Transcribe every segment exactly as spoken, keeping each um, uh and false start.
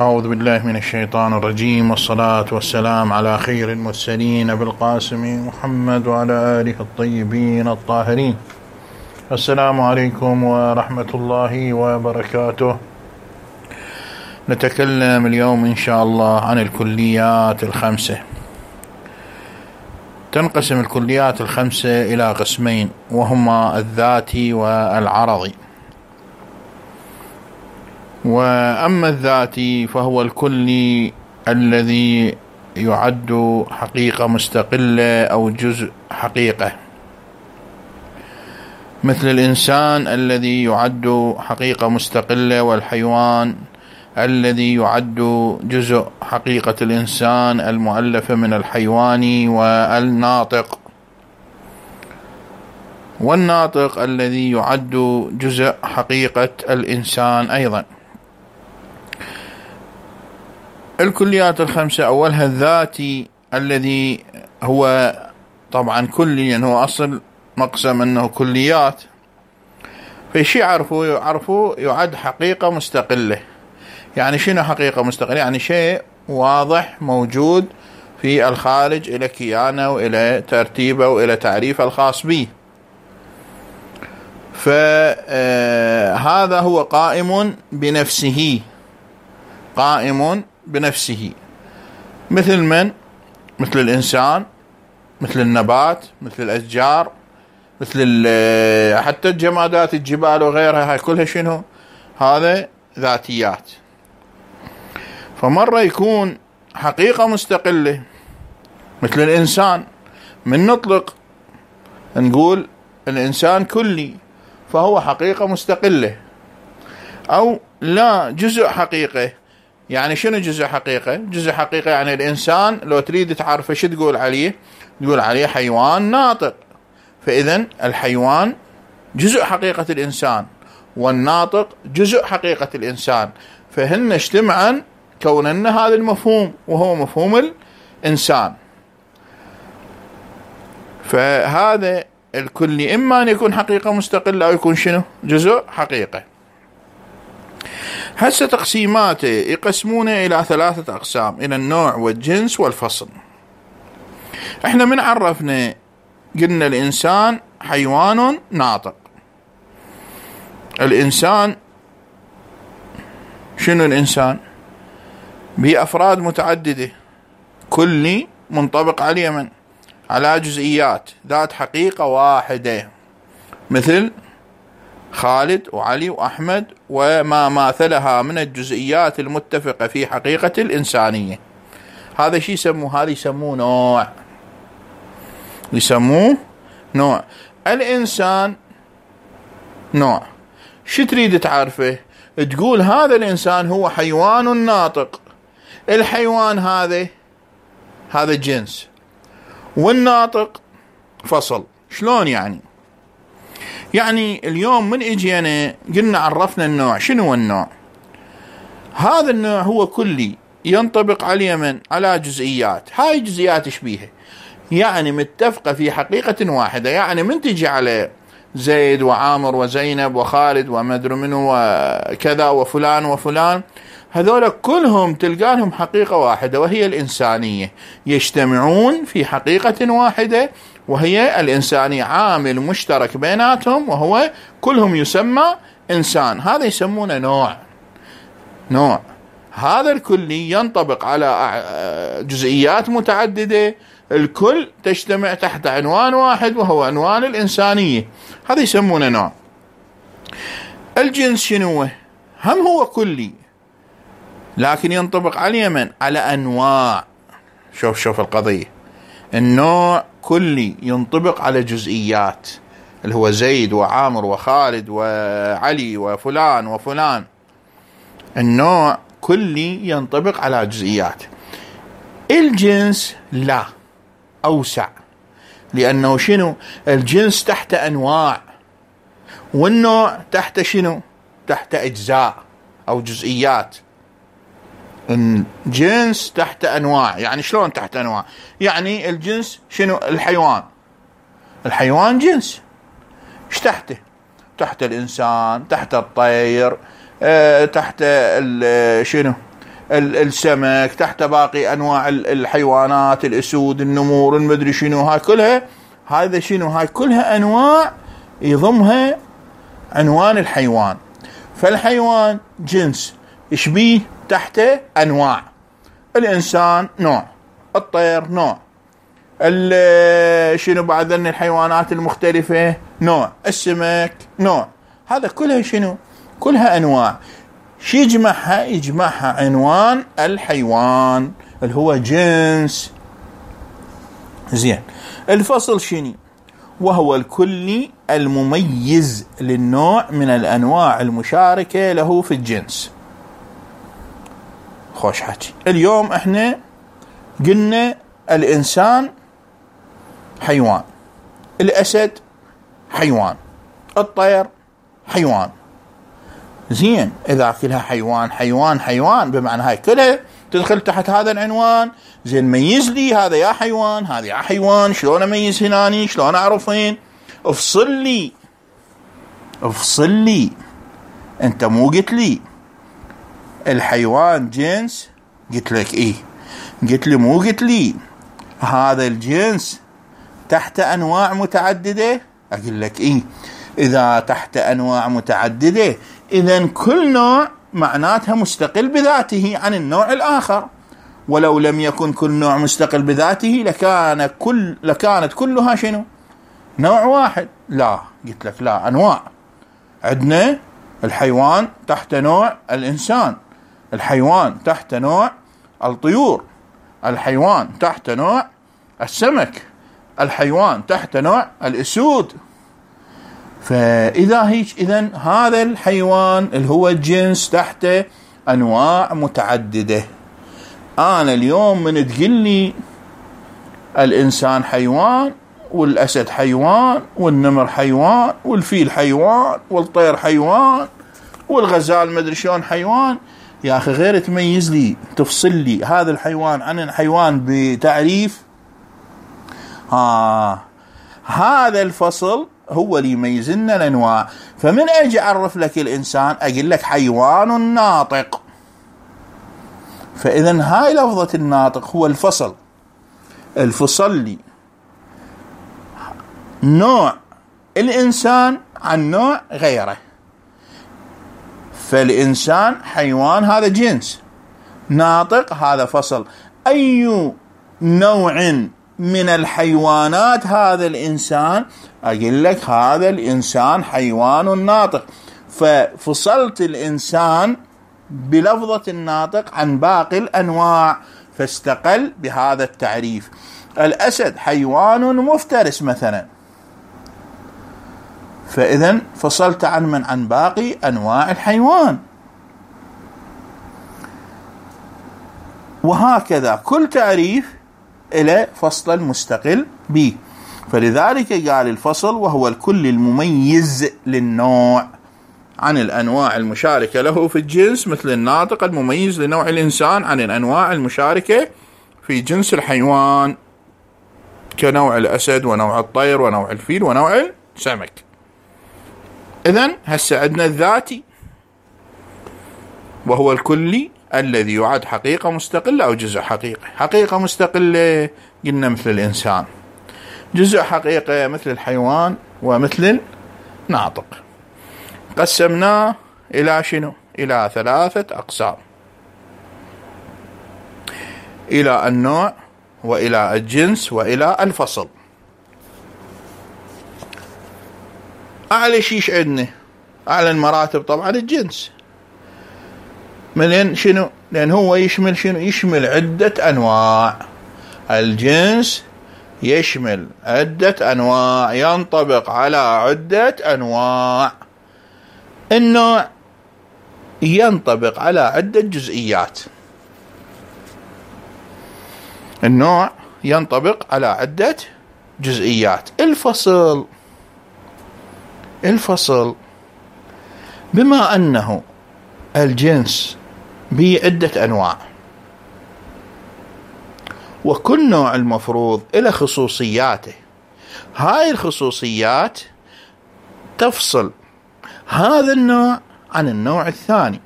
أعوذ بالله من الشيطان الرجيم، والصلاة والسلام على خير المرسلين أبي القاسم محمد وعلى آله الطيبين الطاهرين. السلام عليكم ورحمة الله وبركاته. نتكلم اليوم إن شاء الله عن الكليات الخمسة. تنقسم الكليات الخمسة إلى قسمين، وهما الذاتي والعرضي. وأما الذاتي فهو الكلي الذي يعد حقيقة مستقلة أو جزء حقيقة، مثل الإنسان الذي يعد حقيقة مستقلة، والحيوان الذي يعد جزء حقيقة الإنسان المؤلفة من الحيوان والناطق، والناطق الذي يعد جزء حقيقة الإنسان أيضا. الكليات الخمسة أولها الذاتي الذي هو طبعا كلي، يعني هو أصل مقسم أنه كليات، فشي يعرفوه يعرفوه يعد حقيقة مستقلة. يعني شنو حقيقة مستقلة؟ يعني شيء واضح موجود في الخارج، إلى كيانه وإلى ترتيبه وإلى تعريفه الخاص به، فهذا هو قائم بنفسه، قائم بنفسه، مثل من؟ مثل الإنسان، مثل النبات، مثل الأشجار، مثل حتى الجمادات، الجبال وغيرها، هاي كلها شنو؟ هذا ذاتيات. فمرة يكون حقيقة مستقلة مثل الإنسان، من نطلق نقول الإنسان كلي فهو حقيقة مستقلة، أو لا جزء حقيقة. يعني شنو جزء حقيقة؟ جزء حقيقة يعني الإنسان لو تريد تعرفه شو تقول عليه؟ تقول عليه حيوان ناطق. فإذن الحيوان جزء حقيقة الإنسان، والناطق جزء حقيقة الإنسان، فهن اجتمعا كونن هذا المفهوم وهو مفهوم الإنسان. فهذا الكلي إما أن يكون حقيقة مستقلة أو يكون شنو؟ جزء حقيقة. هسه تقسيماته يقسمونه إلى ثلاثة أقسام، إلى النوع والجنس والفصل. احنا من عرفنا قلنا الإنسان حيوان ناطق. الإنسان شنو الإنسان؟ بأفراد متعددة، كلي منطبق على من؟ على جزئيات ذات حقيقة واحدة، مثل خالد وعلي وأحمد وما ماثلها من الجزئيات المتفقة في حقيقة الإنسانية. هذا شيء يسموه، هذا يسموه نوع، يسموه نوع. الإنسان نوع، شو تريد تعرفه؟ تقول هذا الإنسان هو حيوان ناطق. الحيوان هذا هذا جنس، والناطق فصل. شلون يعني؟ يعني اليوم من اجينا قلنا عرفنا النوع. شنو هو النوع؟ هذا النوع هو كلي ينطبق على من؟ على جزئيات. هاي جزئيات ايش بيها؟ يعني متفقة في حقيقة واحدة. يعني من تجي على زيد وعامر وزينب وخالد وما ادري منو وكذا وفلان وفلان، هذول كلهم تلقى لهم حقيقة واحدة وهي الإنسانية، يجتمعون في حقيقة واحدة وهي الإنسانية، عامل مشترك بيناتهم وهو كلهم يسمى إنسان. هذا يسمونه نوع. نوع هذا الكلي ينطبق على جزئيات متعددة، الكل تجتمع تحت عنوان واحد وهو عنوان الإنسانية، هذا يسمونه نوع. الجنس شنو؟ هم هو كلي لكن ينطبق على من؟ على أنواع. شوف شوف القضية، النوع كلي ينطبق على جزئيات اللي هو زيد وعامر وخالد وعلي وفلان وفلان. النوع كلي ينطبق على جزئيات. الجنس لا، أوسع، لأنه شنو؟ الجنس تحت أنواع، والنوع تحت شنو؟ تحت أجزاء أو جزئيات. الجنس تحت أنواع. يعني شلون تحت أنواع؟ يعني الجنس شنو؟ الحيوان، الحيوان جنس، ايش تحته؟ تحت الإنسان، تحت الطير، أه تحت شنو؟ السمك، تحت باقي انواع الحيوانات، الاسود، النمور، المدري شنو، هاي كلها هذا شنو، هاي كلها انواع يضمها عنوان الحيوان. فالحيوان جنس شبيه تحته انواع. الانسان نوع، الطير نوع، شنو بعد الحيوانات المختلفة نوع، السمك نوع، هذا كلها شنو؟ كلها انواع. شي يجمعها؟ يجمعها عنوان الحيوان اللي هو جنس. زين، الفصل شنو؟ وهو الكلي المميز للنوع من الأنواع المشاركة له في الجنس. خوش حكي. اليوم احنا قلنا الإنسان حيوان، الأسد حيوان، الطير حيوان. زين، إذا كلها حيوان حيوان حيوان، بمعنى هاي كلها تدخل تحت هذا العنوان. زين، ميز لي هذا يا حيوان، هذا يا حيوان، شلون اميز هناني؟ شلون اعرفين؟ افصل لي، افصل لي. انت مو قلت لي الحيوان جنس؟ قلت لك ايه. قلت لي مو قلت لي هذا الجنس تحت انواع متعددة؟ اقول لك ايه. اذا تحت انواع متعددة، اذا كل نوع معناتها مستقل بذاته عن النوع الآخر. ولو لم يكن كل نوع مستقل بذاته لكان كل لكانت كلها شنو؟ نوع واحد. لا، قلت لك لا، أنواع. عندنا الحيوان تحت نوع الإنسان، الحيوان تحت نوع الطيور، الحيوان تحت نوع السمك، الحيوان تحت نوع الأسود. فإذا هيك، إذن هذا الحيوان اللي هو الجنس تحته أنواع متعددة. أنا اليوم من تقول لي الإنسان حيوان والأسد حيوان والنمر حيوان والفيل حيوان والطير حيوان والغزال مدري شلون حيوان، يا أخي غير تميز لي، تفصل لي هذا الحيوان عن الحيوان بتعريف. آه هذا الفصل هو اللي يميز لنا الانواع. فمن اجي اعرف لك الانسان اقول لك حيوان ناطق. فاذا هاي لفظة الناطق هو الفصل، الفصل لي نوع الانسان عن نوع غيره. فالانسان حيوان، هذا جنس، ناطق هذا فصل. اي نوع من الحيوانات هذا الإنسان؟ أقول لك هذا الإنسان حيوان ناطق. ففصلت الإنسان بلفظة الناطق عن باقي الأنواع، فاستقل بهذا التعريف. الأسد حيوان مفترس مثلا، فإذا فصلت عن من؟ عن باقي أنواع الحيوان. وهكذا كل تعريف إلى فصل مستقل به. فلذلك قال الفصل وهو الكل المميز للنوع عن الأنواع المشاركة له في الجنس، مثل الناطق المميز لنوع الإنسان عن الأنواع المشاركة في جنس الحيوان كنوع الأسد ونوع الطير ونوع الفيل ونوع السمك. إذن هسه عندنا الذاتي وهو الكلي الذي يعد حقيقة مستقلة أو جزء حقيقي. حقيقة مستقلة قلنا مثل الإنسان، جزء حقيقة مثل الحيوان ومثل الناطق. قسمناه إلى شنو؟ إلى ثلاثة أقسام، إلى النوع وإلى الجنس وإلى الفصل. أعلى شيء عندنا، أعلى المراتب طبعا الجنس، من شنو؟ لأن هو يشمل شنو؟ يشمل عدة أنواع. الجنس يشمل عدة أنواع، ينطبق على عدة أنواع. النوع ينطبق على عدة جزئيات. النوع ينطبق على عدة جزئيات. الفصل، الفصل بما أنه الجنس بعدة أنواع، وكل نوع المفروض إلى خصوصياته، هاي الخصوصيات تفصل هذا النوع عن النوع الثاني،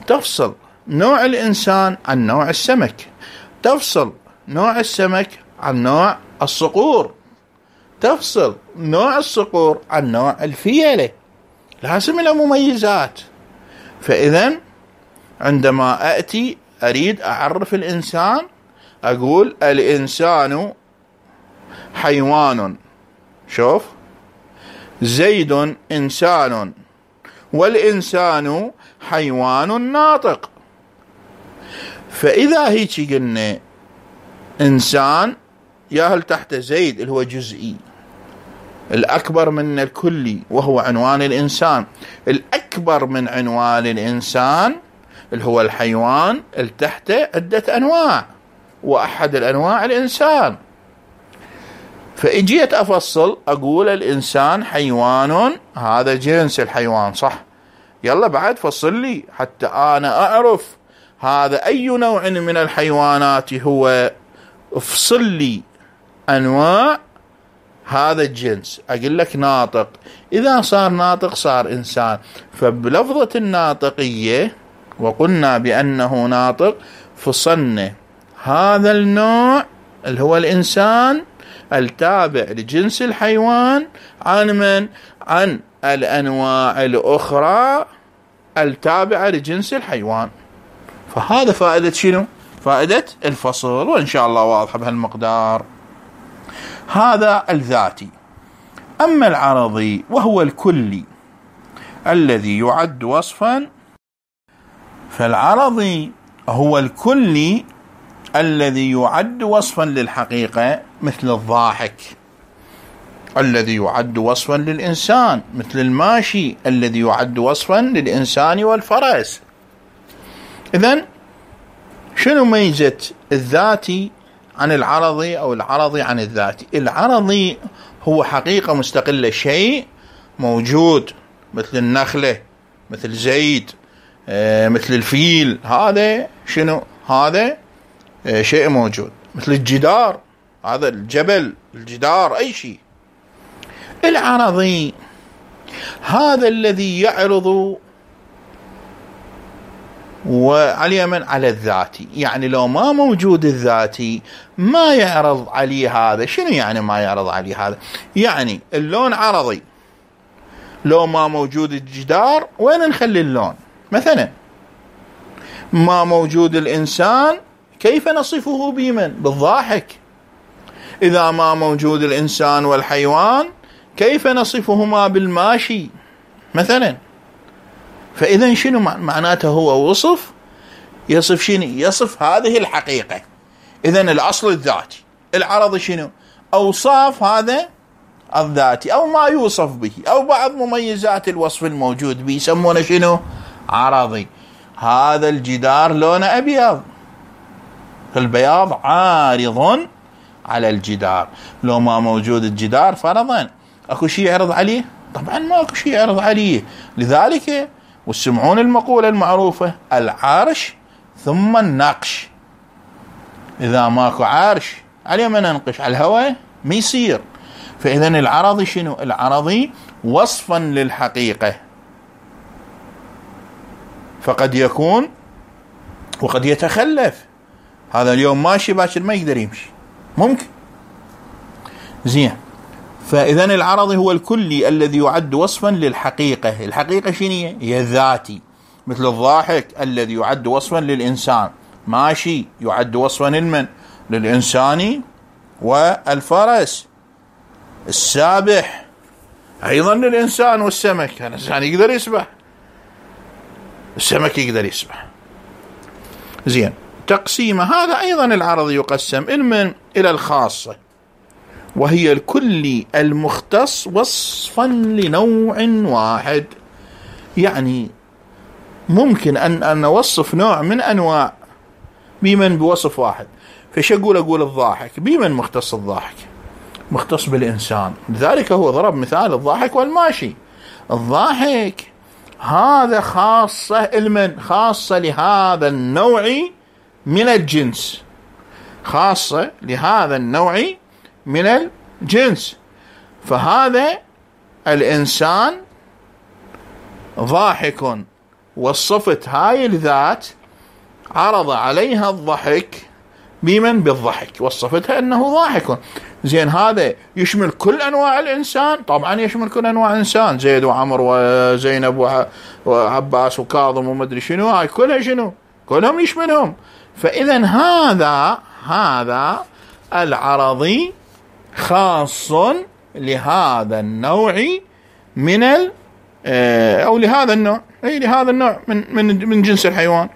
تفصل نوع الإنسان عن نوع السمك، تفصل نوع السمك عن نوع الصقور، تفصل نوع الصقور عن نوع الفيلة، لازم له مميزات. فإذا عندما أتي أريد أعرف الإنسان أقول الإنسان حيوان، شوف زيد إنسان والإنسان حيوان ناطق. فإذا هيك قلنا إنسان ياهل تحت زيد اللي هو جزئي الأكبر من الكلي وهو عنوان الإنسان، الأكبر من عنوان الإنسان اللي هو الحيوان اللي تحته عدة أنواع وأحد الأنواع الإنسان. فإجيت أفصل أقول الإنسان حيوان، هذا جنس الحيوان صح، يلا بعد فصل لي حتى أنا أعرف هذا أي نوع من الحيوانات هو، افصل لي أنواع هذا الجنس. أقول لك ناطق، إذا صار ناطق صار إنسان. فبلفظة الناطقية وقلنا بأنه ناطق فصلنا هذا النوع اللي هو الإنسان التابع لجنس الحيوان عن من؟ عن الأنواع الأخرى التابعة لجنس الحيوان. فهذا فائدة شنو؟ فائدة الفصل، وإن شاء الله واضحة بهالمقدار. هذا الذاتي. أما العرضي وهو الكلي الذي يعد وصفا، فالعرضي هو الكلي الذي يعد وصفا للحقيقة مثل الضاحك، الذي يعد وصفا للإنسان مثل الماشي، الذي يعد وصفا للإنسان والفرس. إذن شنو ميزة الذاتي عن العرضي أو العرضي عن الذاتي؟ العرضي هو حقيقة مستقلة، شيء موجود مثل النخلة، مثل زيد، مثل الفيل، هذا شنو؟ هذا شيء موجود، مثل الجدار، هذا الجبل، الجدار، أي شيء. العرضي هذا الذي يعرض وعلى من؟ على الذاتي. يعني لو ما موجود الذاتي ما يعرض عليه هذا. شنو يعني ما يعرض عليه هذا؟ يعني اللون عرضي، لو ما موجود الجدار وين نخلي اللون مثلا؟ ما موجود الإنسان كيف نصفه بمن؟ بالضاحك. إذا ما موجود الإنسان والحيوان كيف نصفهما؟ بالماشي مثلا. فإذا شنو معناته؟ هو وصف، يصف شنو؟ يصف هذه الحقيقة. إذا الأصل الذاتي، العرض شنو؟ أوصاف هذا الذاتي أو ما يوصف به أو بعض مميزات الوصف الموجود به، يسمونه شنو؟ عرضي. هذا الجدار لونه أبيض، فالبياض عارض على الجدار. لو ما موجود الجدار فرضا أكو شيء يعرض عليه؟ طبعا ما أكو شيء يعرض عليه. لذلك وسمعون المقولة المعروفة: العرش ثم النقش. إذا ماكو عرش عليه ما ننقش، على الهواء ما يصير. فإذا العرضي شنو؟ العرضي وصفا للحقيقة، فقد يكون وقد يتخلف. هذا اليوم ماشي باكر ما يقدر يمشي، ممكن. زين، فإذا العرضي هو الكلي الذي يعد وصفا للحقيقة. الحقيقة شنو هي؟ هي الذاتي، مثل الضاحك الذي يعد وصفا للإنسان، ماشي يعد وصفا لمن؟ للإنسان والفرس. السابح أيضا للإنسان والسمك، الإنسان يقدر يسبح، السمك يقدر يسبح. زين، تقسيمه هذا أيضا العرض يقسم من إلى الخاصة، وهي الكلي المختص وصفا لنوع واحد. يعني ممكن أن أن نوصف نوع من أنواع بمن؟ بوصف واحد. فش أقول؟ أقول الضاحك. بمن مختص الضاحك؟ مختص بالإنسان. لذلك هو ضرب مثال الضاحك والماشي. الضاحك هذا خاصة المن؟ خاصة لهذا النوع من الجنس، خاصة لهذا النوع من الجنس. فهذا الإنسان ضاحك، وصفت هاي الذات عرض عليها الضحك بمن؟ بالضحك، وصفتها أنه ضاحك. زين، هذا يشمل كل أنواع الإنسان؟ طبعا يشمل كل أنواع الإنسان، زيد وعمر وزينب وعباس وكاظم ومدري شنو، هاي كلها شنو؟ كلهم يشملهم. فإذا هذا هذا العرضي خاص لهذا النوع من ال أو لهذا النوع، أي لهذا النوع من من من جنس الحيوان،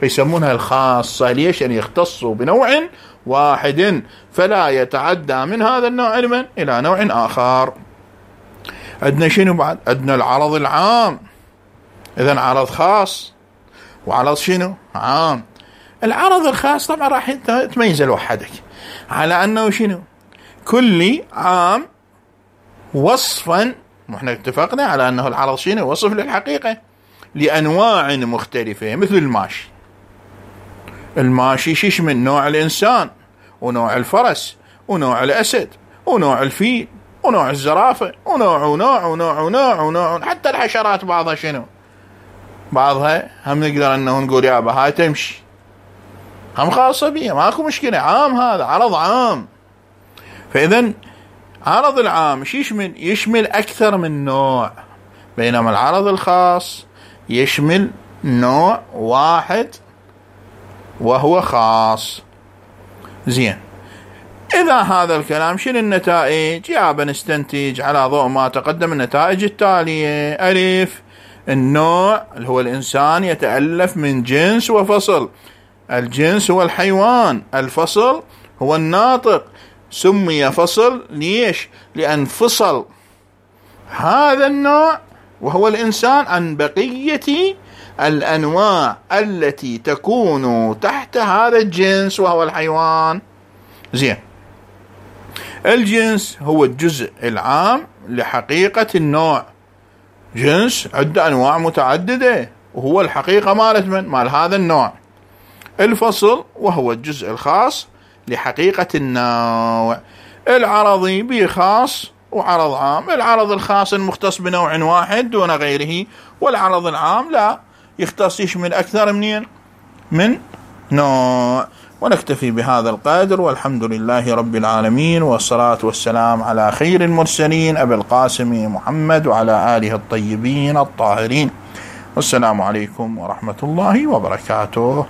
فيسمونها الخاصة. ليش؟ يعني يختصوا بنوع واحد فلا يتعدى من هذا النوع علما إلى نوع آخر. عندنا شنو بعد؟ عندنا العرض العام. إذن عرض خاص وعرض شنو؟ عام. العرض الخاص طبعا راح تميز لوحدك على أنه شنو؟ كلي عام وصفا، احنا اتفقنا على أنه العرض شنو؟ وصف للحقيقة لأنواع مختلفة، مثل الماشي. الماشي شيش من نوع الإنسان ونوع الفرس ونوع الأسد ونوع الفيل ونوع الزرافة ونوع ونوع ونوع ونوع ونوع، حتى الحشرات بعضها شنو؟ بعضها هم نقدر أنه نقول يابا هاي تمشي، هم خاصة بيها، ماكو مشكلة، عام، هذا عرض عام. فإذا عرض العام شو يشمل؟ يشمل أكثر من نوع، بينما العرض الخاص يشمل نوع واحد وهو خاص. زين، إذا هذا الكلام شنو النتائج؟ يابا نستنتج على ضوء ما تقدم النتائج التالية. ألف، النوع اللي هو الإنسان يتألف من جنس وفصل. الجنس هو الحيوان، الفصل هو الناطق. سمي فصل ليش؟ لأن فصل هذا النوع وهو الإنسان عن بقية الأنواع التي تكون تحت هذا الجنس وهو الحيوان. زين، الجنس هو الجزء العام لحقيقة النوع. جنس عنده أنواع متعددة وهو الحقيقة مالت من؟ مال هذا النوع. الفصل وهو الجزء الخاص لحقيقة النوع. العرضي بخاص وعرض عام. العرض الخاص المختص بنوع واحد دون غيره، والعرض العام لا يختص يشمل أكثر منين؟ من نوع. ونكتفي بهذا القدر، والحمد لله رب العالمين، والصلاة والسلام على خير المرسلين أبي القاسم محمد وعلى آله الطيبين الطاهرين. والسلام عليكم ورحمة الله وبركاته.